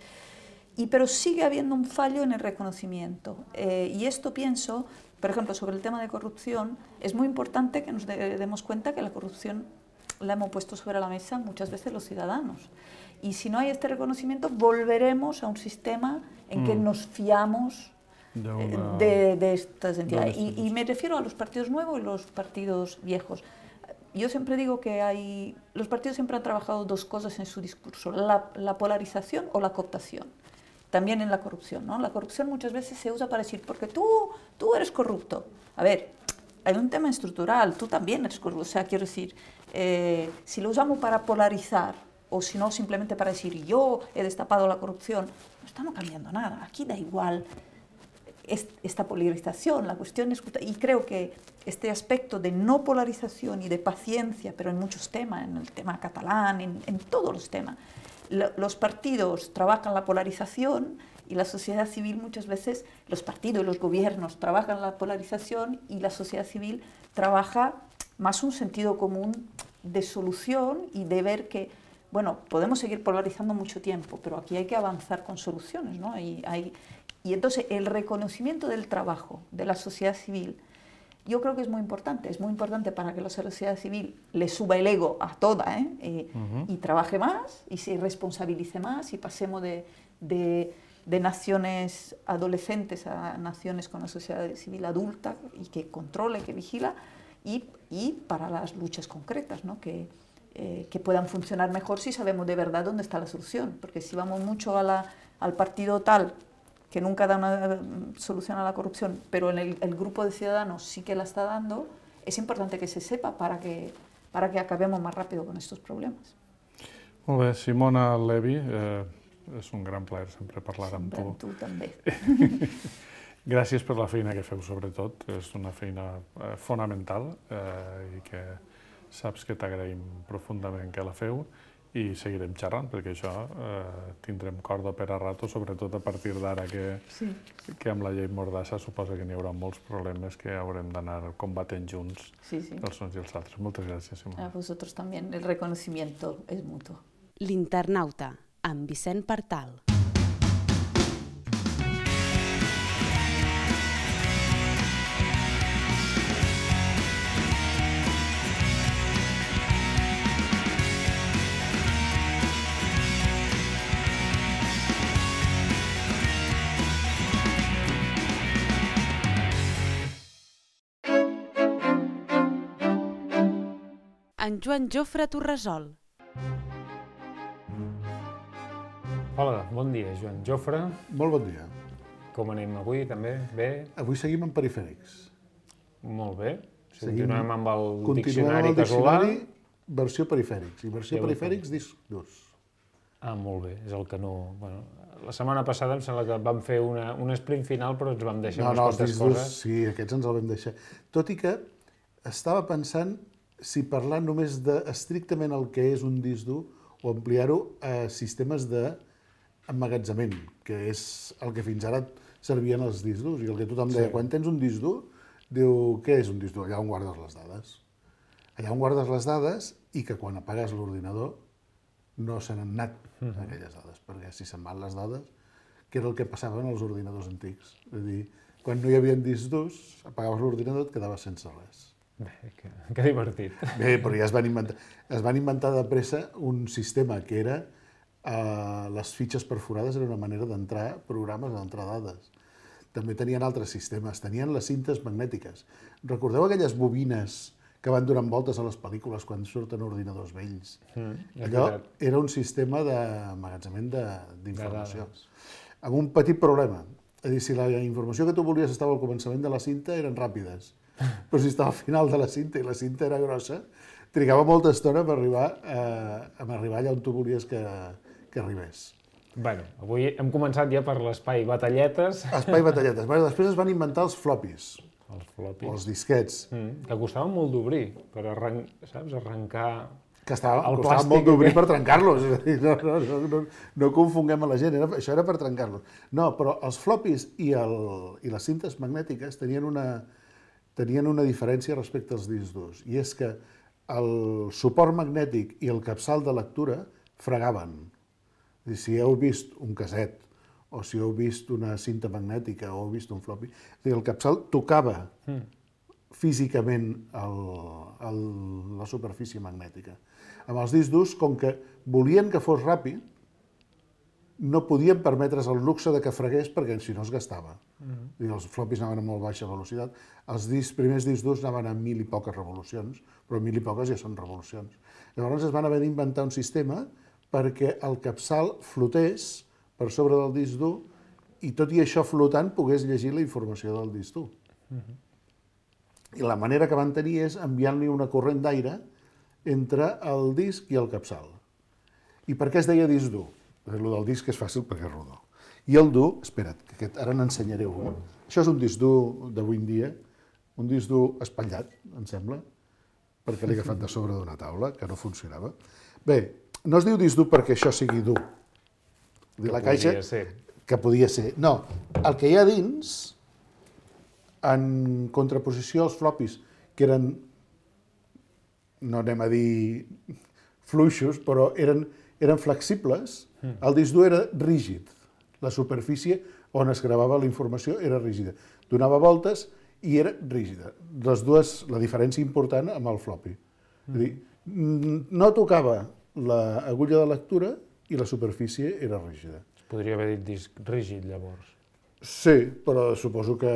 Pero sigue habiendo un fallo en el reconocimiento. Y esto pienso, por ejemplo, sobre el tema de corrupción, es muy importante que nos demos cuenta que la corrupción la hemos puesto sobre la mesa muchas veces los ciudadanos. Y si no hay este reconocimiento, volveremos a un sistema en que nos fiamos de estas entidades. Y me refiero a los partidos nuevos y los partidos viejos. Yo siempre digo que los partidos siempre han trabajado dos cosas en su discurso, la polarización o la cooptación. También en la corrupción, ¿no? La corrupción muchas veces se usa para decir, porque tú eres corrupto. A ver, hay un tema estructural, tú también eres corrupto. O sea, quiero decir, si lo usamos para polarizar, o si no simplemente para decir yo he destapado la corrupción, no estamos cambiando nada. Aquí da igual esta polarización. La cuestión es, y creo que este aspecto de no polarización y de paciencia, pero en muchos temas, en el tema catalán, en todos los temas, los partidos trabajan la polarización y la sociedad civil muchas veces, los partidos y los gobiernos trabajan la polarización y la sociedad civil trabaja más un sentido común de solución y de ver que, bueno, podemos seguir polarizando mucho tiempo, pero aquí hay que avanzar con soluciones, ¿no? Y entonces el reconocimiento del trabajo de la sociedad civil, yo creo que es muy importante para que la sociedad civil le suba el ego a toda, y trabaje más y se responsabilice más y pasemos de naciones adolescentes a naciones con una sociedad civil adulta y que controle, que vigila, y para las luchas concretas, ¿no? Que puedan funcionar mejor si sabemos de verdad dónde está la solución, porque si vamos mucho al partido tal, que nunca da una solución a la corrupción, pero en el grupo de ciudadanos sí que la está dando, es importante que se sepa para que acabemos más rápido con estos problemas. Molt bé, Simona Levi, és un gran plaer sempre parlar amb tu. Amb tu també. Gràcies per la feina que feu, sobretot. És una feina fonamental i que saps que t'agraïm profundament que la feu i seguirem xerrant, perquè això tindrem corda per a rato, sobretot a partir d'ara que amb la llei Mordassa suposa que n'hi haurà molts problemes que haurem d'anar combatent junts, els uns i els altres. Moltes gràcies, Simona. A vosaltres també. El reconocimiento es mutuo. L'Internauta, amb Vicent Partal. En Joan Jofre Torresol. Hola, bon dia, Joan Jofre. Molt bon dia. Com anem avui, també? Bé? Avui seguim amb perifèrics. Molt bé. Continuem amb el diccionari casolà. Continuem amb el diccionari, versió perifèrics. I versió perifèrics, disc durs. Ah, molt bé. És el que no... Bueno, la setmana passada em sembla que vam fer un sprint final, però ens vam deixar unes quantes coses. Sí, aquests ens el vam deixar. Tot i que estava pensant si parlar només estrictament el que és un disc dur o ampliar-ho a sistemes d'emmagatzemament, que és el que fins ara servien els discs durs. I el que tothom deia, quan tens un disc dur, diu, què és un disc dur? Allà on guardes les dades. Allà on guardes les dades i que quan apagues l'ordinador no se n'han anat aquelles dades, perquè si se'n van les dades, que era el que passava en els ordinadors antics. És a dir, quan no hi havia discs durs, apagaves l'ordinador i et quedaves sense res. Bé, que divertit. Bé, però ja es van inventar de pressa un sistema que era les fitxes perforades era una manera d'entrar programes, d'entrar dades. També tenien altres sistemes, tenien les cintes magnètiques. Recordeu aquelles bobines que van donant voltes a les pel·lícules quan surten ordinadors vells? Allò era un sistema d'emmagatzemament d'informació. Amb un petit problema. És a dir, si la informació que tu volies estava al començament de la cinta, eren ràpides. Però si estava al final de la cinta i la cinta era grossa, trigava molta estona per arribar allà on tu volies que arribés. Bé, avui hem començat ja per l'espai batalletes. Espai batalletes. Després es van inventar els floppies. Els floppies. O els disquets. Que costaven molt d'obrir, per arrencar... Que costava molt d'obrir per trencar-los. No confonguem a la gent, això era per trencar-los. No, però els floppies i les cintes magnètiques tenien una diferència respecte als discs durs, i és que el suport magnètic i el capçal de lectura fregaven. Si heu vist un casset, o si heu vist una cinta magnètica, o heu vist un floppy, el capçal tocava físicament la superfície magnètica. Amb els discs durs, com que volien que fos ràpid, no podien permetre's el luxe de que fregués perquè si no es gastava. Els floppies anaven a molt baixa velocitat. Els primers discs durs anaven a 1.000 i poques revolucions, però 1.000 i poques ja són revolucions. Llavors es van haver d'inventar un sistema perquè el capçal flotés per sobre del disc dur i tot i això flotant pogués llegir la informació del disc dur. I la manera que van tenir és enviant-li una corrent d'aire entre el disc i el capçal. I per què es deia disc dur? El del disc és fàcil perquè és rodó. I el dur, espera't, que ara n'ensenyaré un. Això és un disc dur d'avui en dia, un disc dur espatllat, em sembla, perquè l'he agafat de sobre d'una taula, que no funcionava. Bé, no es diu disc dur perquè això sigui dur. La caixa, que podia ser. No, el que hi ha dins, en contraposició als flopis, que eren, no anem a dir fluixos, però eren flexibles, el disc dur era rígid. La superfície on es gravava la informació era rígida. Donava voltes i era rígida. La diferència important amb el floppy. És a dir, no tocava l'agulla de lectura i la superfície era rígida. Es podria haver dit disc rígid, llavors. Sí, però suposo que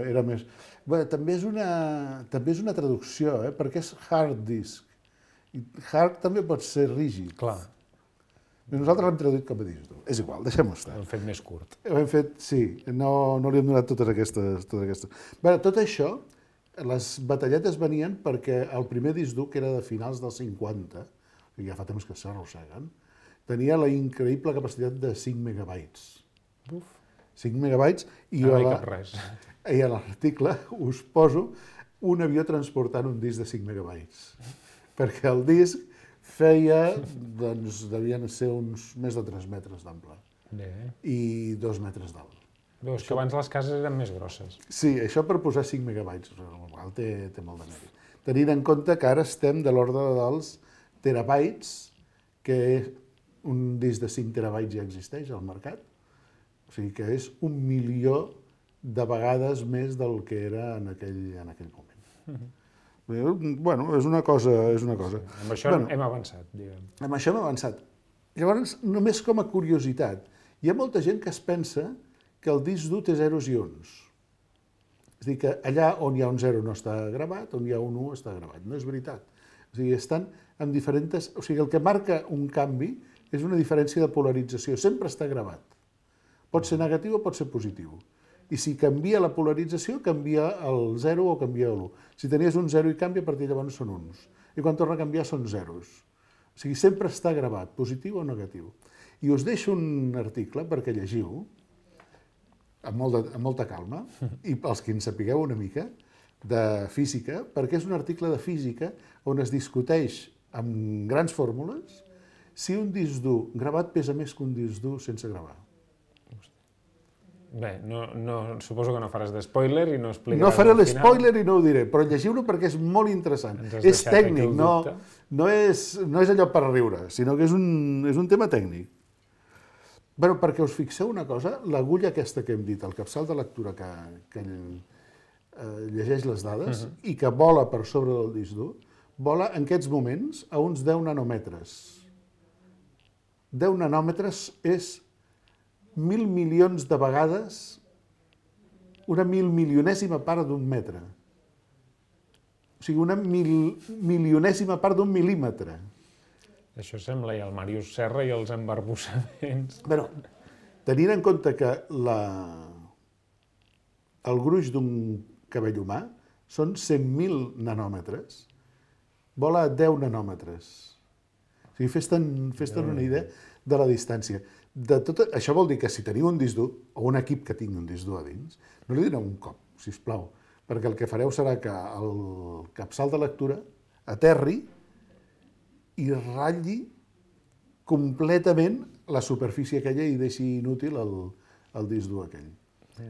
era més... Bé, també és una traducció, perquè és hard disk. I hard també pot ser rígid. Clar. Nosaltres l'hem traduït com a disc dur. És igual, deixem-ho estar. Ho hem fet més curt. Ho hem fet, sí, no li hem donat totes aquestes. Bé, tot això, les batalletes venien perquè el primer disc dur, que era de finals dels 50, que ja fa temps que s'arrosseguen, tenia la increïble capacitat de 5 megabytes. Uf. 5 megabytes i No hi cap res. I a l'article us poso un avió transportant un disc de 5 megabytes. Perquè el disc feia, doncs, devien ser uns més de 3 metres d'ample i 2 metres d'alt. Veus que abans les cases eren més grosses. Sí, això per posar 5 megabytes, té molt de mèrit. Tenint en compte que ara estem de l'ordre dels terabytes, que un disc de 5 terabytes ja existeix al mercat, o sigui que és 1 milió de vegades més del que era en aquell moment. Bueno, és una cosa. Sí, amb això hem avançat, diguem. Amb això hem avançat. Llavors, només com a curiositat, hi ha molta gent que es pensa que el disc dur té zeros i uns. És a dir, que allà on hi ha un 0 no està gravat, on hi ha un 1 està gravat. No és veritat. O sigui, estan amb diferents... O sigui, el que marca un canvi és una diferència de polarització. Sempre està gravat. Pot ser negatiu o pot ser positiu. I si canvia la polarització, canvia el 0 o canvia l'1. Si tenies un 0 i canvia, a partir de llavors són uns. I quan torna a canviar són zeros. O sigui, sempre està gravat, positiu o negatiu. I us deixo un article perquè llegiu, amb molta calma, i pels que en sapigueu una mica, de física, perquè és un article de física on es discuteix amb grans fórmules si un disc dur gravat pesa més que un disc dur sense gravar. Bé, suposo que no faràs d'espoiler i no explicaràs. No faré l'espoiler i no ho diré, però llegiu-lo perquè és molt interessant. És tècnic, no és allò per riure, sinó que és un tema tècnic. Però perquè us fixeu una cosa, l'agulla aquesta que hem dit, el capçal de lectura que llegeix les dades i que vola per sobre del disc dur, vola en aquests moments a uns 10 nanòmetres. 10 nanòmetres és 1.000 milions de vegades una 1.000.000ésima part d'un metre. O sigui, una 1.000.000ésima part d'un mil·límetre. Això sembla el Màrius Serra i els embarbussaments. Però, tenint en compte que el gruix d'un cabell humà són 100.000 nanòmetres, vola a 10 nanòmetres. O sigui, fes-te'n una idea de la distància. Això vol dir que si teniu un disc dur, o un equip que tingui un disc dur a dins, no li doneu un cop, sisplau, perquè el que fareu serà que el capçal de lectura aterri i ratlli completament la superfície aquella i deixi inútil el disc dur aquell.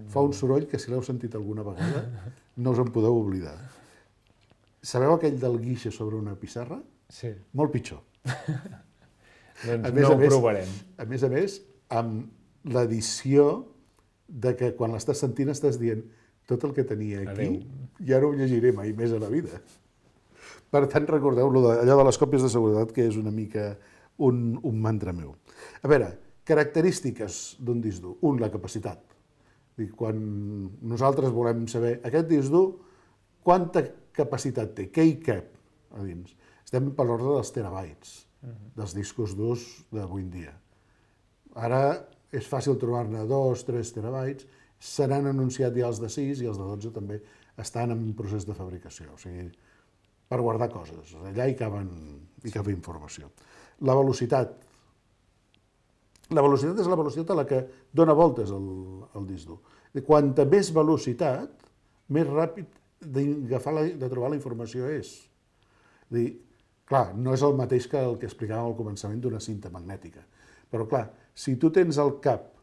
Fa un soroll que si l'heu sentit alguna vegada no us en podeu oblidar. Sabeu aquell del guixe sobre una pissarra? Sí. Molt pitjor. Doncs no ho provarem. A més, amb l'edició de que quan l'estàs sentint estàs dient tot el que tenia aquí, ja no ho llegiré mai més a la vida. Per tant, recordeu allò de les còpies de seguretat, que és una mica un mantra meu. A veure, característiques d'un disc dur. Un, la capacitat. Quan nosaltres volem saber aquest disc dur, quanta capacitat té, què hi cap a dins. Estem per l'ordre dels terabytes, dels discos durs d'avui en dia. Ara és fàcil trobar-ne 2-3 terabytes, se n'han anunciat ja els de 6 i els de 12 també estan en procés de fabricació, o sigui, per guardar coses. Allà hi cabe informació. La velocitat. La velocitat és la velocitat a la que dona voltes el disc dur. Quanta més velocitat, més ràpid de trobar la informació és. És dir, clar, no és el mateix que el que explicàvem al començament d'una cinta magnètica. Però clar, si tu tens el cap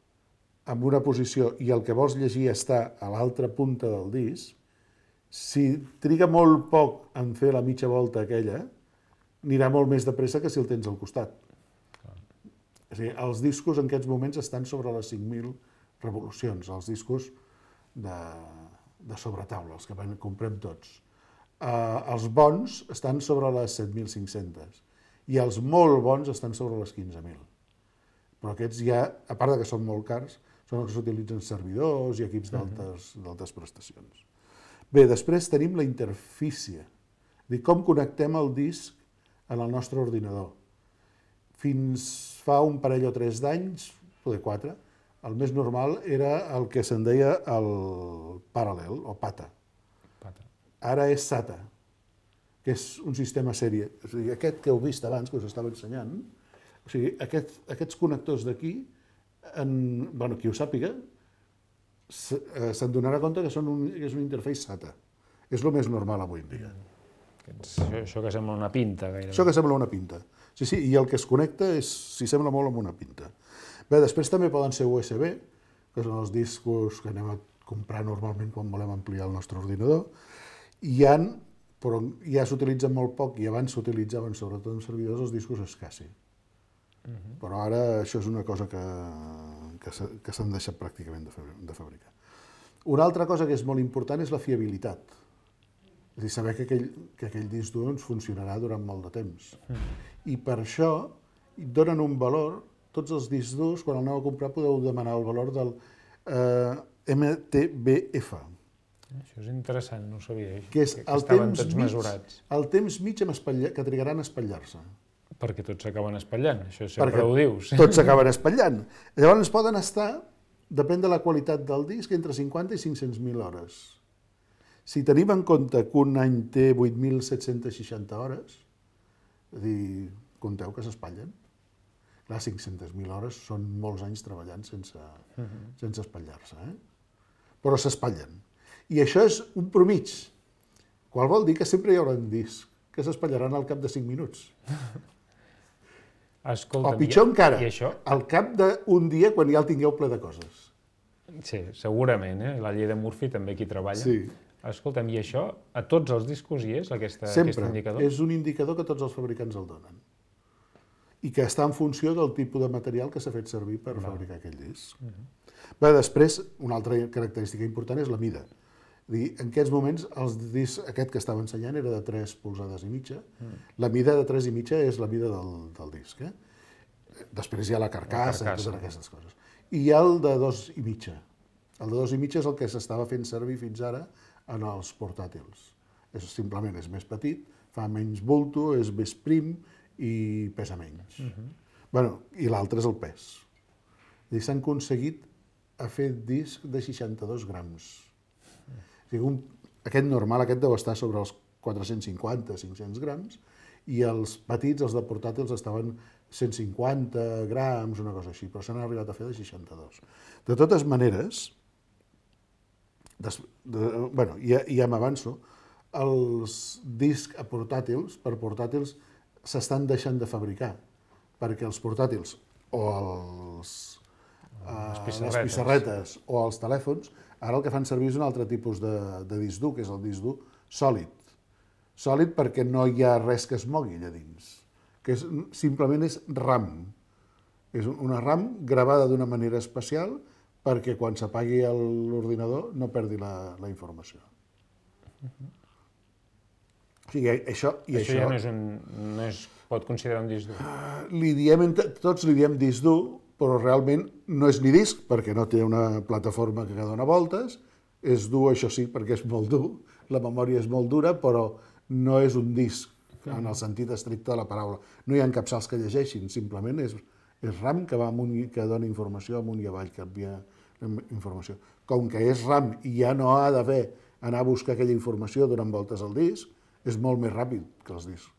en una posició i el que vols llegir està a l'altra punta del disc, si triga molt poc en fer la mitja volta aquella, anirà molt més de pressa que si el tens al costat. És a dir, els discos en aquests moments estan sobre les 5.000 revolucions, els discos de sobretaula, els que comprem tots. Els bons estan sobre les 7.500 i els molt bons estan sobre les 15.000. Però aquests ja, a part que són molt cars, són els que s'utilitzen servidors i equips d'altes prestacions. Bé, després tenim la interfície, com connectem el disc en el nostre ordinador. Fins fa un parell o 3 d'anys, poder 4, el més normal era el que se'n deia el paral·lel o PATA. Ara és SATA, que és un sistema sèrie. O sigui, aquest que heu vist abans, que us estava ensenyant, o sigui, aquests connectors d'aquí, qui ho sàpiga, se'n donarà compte que és un interface SATA. És el més normal avui en dia. Això que sembla una pinta, gairebé. Això que sembla una pinta. Sí, i el que es connecta s'hi sembla molt amb una pinta. Bé, després també poden ser USB, que són els discos que anem a comprar normalment quan volem ampliar el nostre ordinador. Però ja s'utilitzen molt poc i abans s'utilitzaven sobretot en servidors els discos SCSI. Però ara això és una cosa que s'han deixat pràcticament de fabricar. Una altra cosa que és molt important és la fiabilitat. És a dir, saber que aquell disc dur ens funcionarà durant molt de temps. I per això donen un valor, tots els discs durs, quan el aneu a comprar podeu demanar el valor del MTBF. Això és interessant, no ho sabia. Que és el temps mig que trigaran a espatllar-se. Perquè tots s'acaben espatllant, això sempre ho dius. Tots s'acaben espatllant. Llavors poden estar, depèn de la qualitat del disc, entre 50 i 500.000 hores. Si tenim en compte que un any té 8.760 hores, és a dir, compteu que s'espatllen. Clar, 500.000 hores són molts anys treballant sense espatllar-se. Però s'espatllen. I això és un promig, qual vol dir que sempre hi haurà discs que s'espallaran al cap de 5 minuts. Escolta, o pitjor encara, al cap d'un dia quan ja el tingueu ple de coses. Sí, segurament, la llei de Murphy també aquí treballa. Sí. Escolta'm, i això a tots els discos hi és, aquest indicador? Sempre, és un indicador que tots els fabricants el donen. I que està en funció del tipus de material que s'ha fet servir per fabricar aquell disc. Bé, després, una altra característica important és la mida. En aquests moments, el disc aquest que estava ensenyant era de 3 polzades i mitja. La mida de 3 i mitja és la mida del disc. Després hi ha la carcassa i totes aquestes coses. I hi ha el de 2 i mitja. El de 2 i mitja és el que s'estava fent servir fins ara en els portàtils. Simplement és més petit, fa menys bulto, és més prim i pesa menys. I l'altre és el pes. S'han aconseguit a fer disc de 62 grams. Aquest normal, aquest deu estar sobre els 450-500 grams, i els petits, els de portàtils, estaven 150 grams, una cosa així, però s'han arribat a fer de 62. De totes maneres, ja m'avanço, els discs per portàtils, s'estan deixant de fabricar, perquè els portàtils o les pissarretes o els telèfons, ara el que fan servir és un altre tipus de disc dur, que és el disc dur sòlid. Sòlid perquè no hi ha res que es mogui allà dins, que simplement és RAM. És una RAM gravada d'una manera especial perquè quan s'apagui l'ordinador no perdi la informació. Això ja no es pot considerar un disc dur? Tots li diem disc dur, però realment no és ni disc, perquè no té una plataforma que dona voltes, és dur, això sí, perquè és molt dur, la memòria és molt dura, però no és un disc, en el sentit estricte de la paraula. No hi ha capçals que llegeixin, simplement és RAM que que dona informació amunt i avall, que envia informació. Com que és RAM i ja no ha d'haver anar a buscar aquella informació donant voltes al disc, és molt més ràpid que els discs.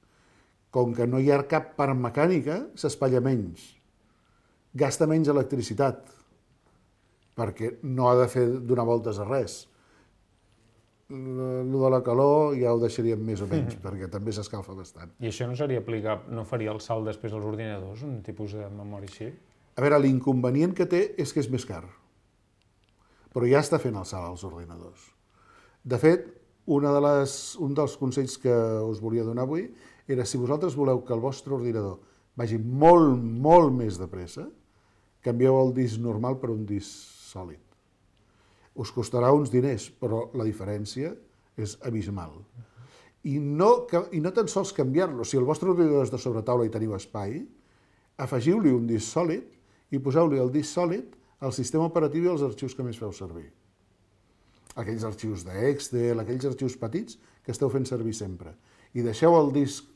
Com que no hi ha cap part mecànica, s'espatlla menys. gasta menys electricitat, perquè no ha de donar voltes a res. El de la calor ja ho deixaríem més o menys, perquè també s'escalfa bastant. I això no seria aplicable, no faria el salt després als ordinadors, un tipus de memòria així? A veure, l'inconvenient que té és que és més car, però ja està fent el salt als ordinadors. De fet, un dels consells que us volia donar avui era si vosaltres voleu que el vostre ordinador vagi molt, molt més de pressa, canvieu el disc normal per un disc sòlid. Us costarà uns diners, però la diferència és abismal. I no tan sols canviar-lo. Si el vostre ordinador és de sobretaula i teniu espai, afegiu-li un disc sòlid i poseu-li el disc sòlid al sistema operatiu i als arxius que més feu servir. Aquells arxius d'Excel, aquells arxius petits que esteu fent servir sempre. I deixeu el disc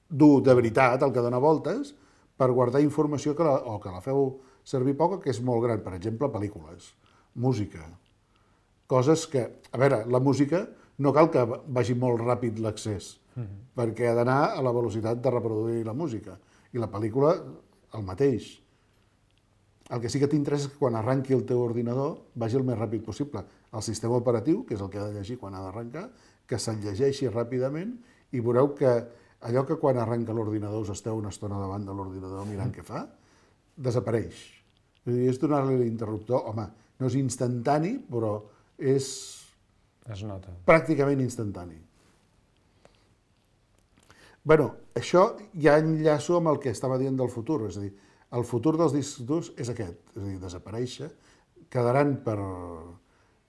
dur de veritat, el que dona voltes, per guardar informació que la feu servir poca, que és molt gran. Per exemple, pel·lícules, música, coses que... A veure, la música no cal que vagi molt ràpid l'accés, perquè ha d'anar a la velocitat de reproduir la música. I la pel·lícula, el mateix. El que sí que t'interessa és que quan arranqui el teu ordinador vagi el més ràpid possible. El sistema operatiu, que és el que ha de llegir quan ha d'arrencar, que se'l llegeixi ràpidament i veureu que allò que quan arrenca l'ordinador us esteu una estona davant de l'ordinador mirant què fa, desapareix. És donar-li l'interruptor, home, no és instantani, però es nota. Pràcticament instantani. Bé, això ja enllaço amb el que estava dient del futur, és a dir, el futur dels discs durs és aquest, és a dir, desaparèixer, quedaran per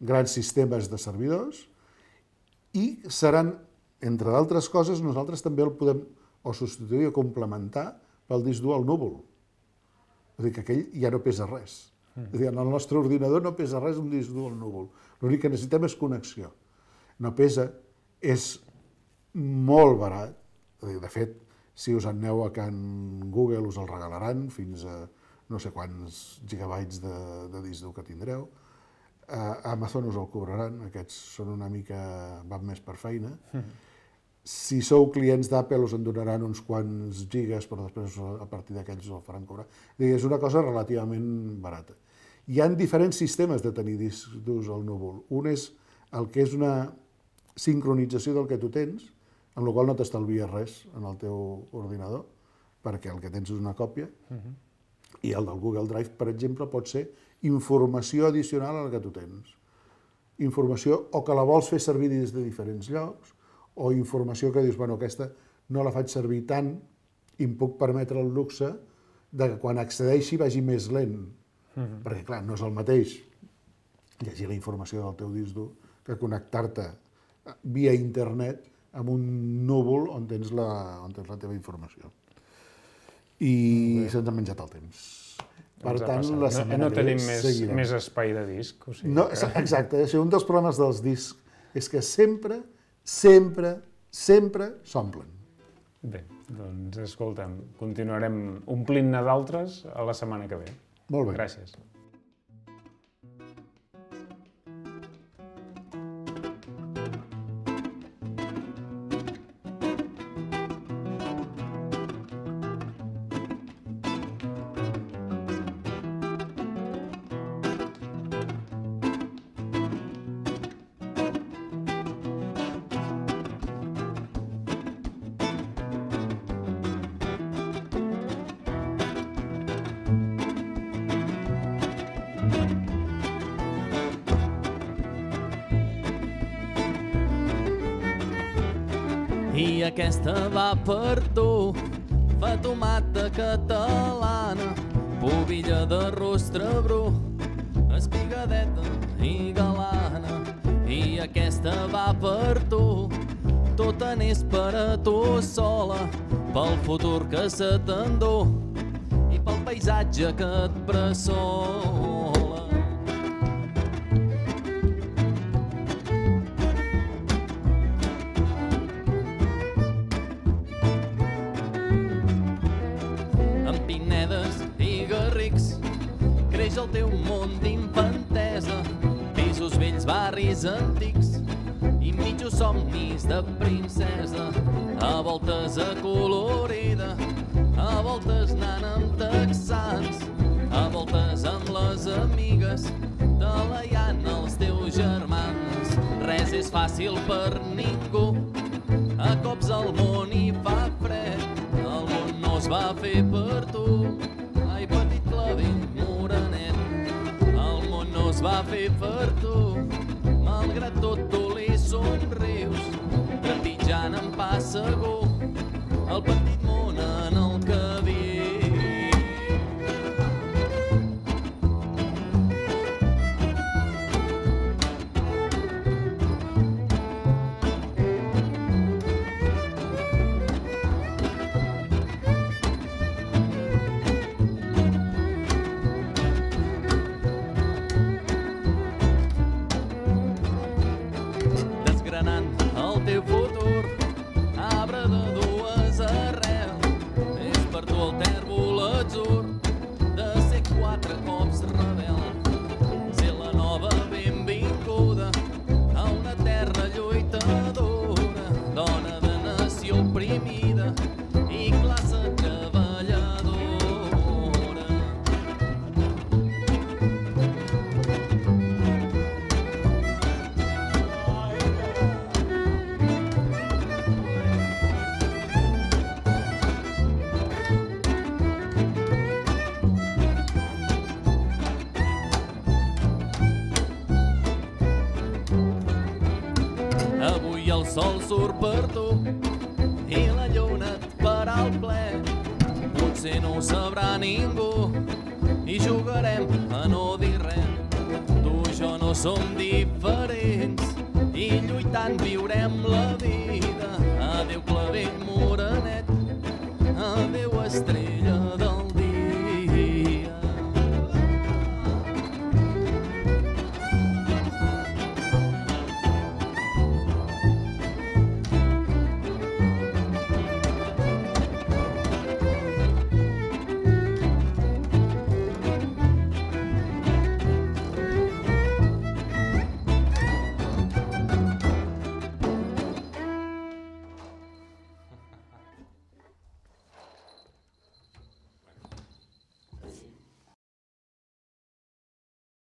grans sistemes de servidors i seran, entre d'altres coses, nosaltres també el podem o substituir o complementar pel disc dur al núvol. És a dir, que aquell ja no pesa res. És a dir, en el nostre ordinador no pesa res un disc dur al núvol. L'únic que necessitem és connexió. No pesa, és molt barat. De fet, si us aneu a Can Google us el regalaran fins a no sé quants gigabytes de disc dur que tindreu. A Amazon us el cobraran, aquests són una mica... van més per feina. Si sou clients d'Apple us en donaran uns quants gigas, però després a partir d'aquells us el faran cobrar. És una cosa relativament barata. Hi ha diferents sistemes de tenir discs durs al núvol. Un és el que és una sincronització del que tu tens, amb la qual no t'estalvies res en el teu ordinador, perquè el que tens és una còpia, i el del Google Drive, per exemple, pot ser informació addicional a la que tu tens. Informació o que la vols fer servir des de diferents llocs, o informació que dius, bueno, aquesta no la faig servir tant i em puc permetre el luxe de que quan accedeixi vagi més lent. Perquè, clar, no és el mateix llegir la informació del teu disc dur que connectar-te via internet amb un núvol on tens la teva informació. I se'ns ha menjat el temps. Per tant, la setmana que ve seguirem. No tenim més espai de disc. Exacte, un dels problemes dels discs és que sempre s'omplen. Bé, doncs escolta'm, continuarem omplint-ne d'altres a la setmana que ve. Molt bé. Gràcies. I aquesta va per tu, fatomata catalana, pubilla de rostre bru, espigadeta i galana. I aquesta va per tu, tota n'és per a tu sola, pel futur que se t'endú i pel paisatge que et bressola. Creix el teu món d'infantesa, pisos vells, barris antics i mitjos somnis de princesa, a voltes acolorida, a voltes voltes anant amb texans, a voltes amb les amigues, talaiant els teus germans. Res és fàcil per ningú, a cops el món hi fa fred, el món no es va fer per tu. Ai, petit clavell morenet, el món no es va fer per tu. Malgrat tot tu li somrius, trepitjant en pas segur, el petit món en el que viu. Desgranant el teu futur, arbre de dues arrels, és per tu el tèrbol atzur de ser quatre cops rebel. Ser la nova benvinguda a una terra lluitadora, dona de nació oprimida i classe treballadora. Avui el sol surt per tu i la lluna et farà el ple. Potser no ho sabrà ningú i jugarem a no dir res. Tu i jo no som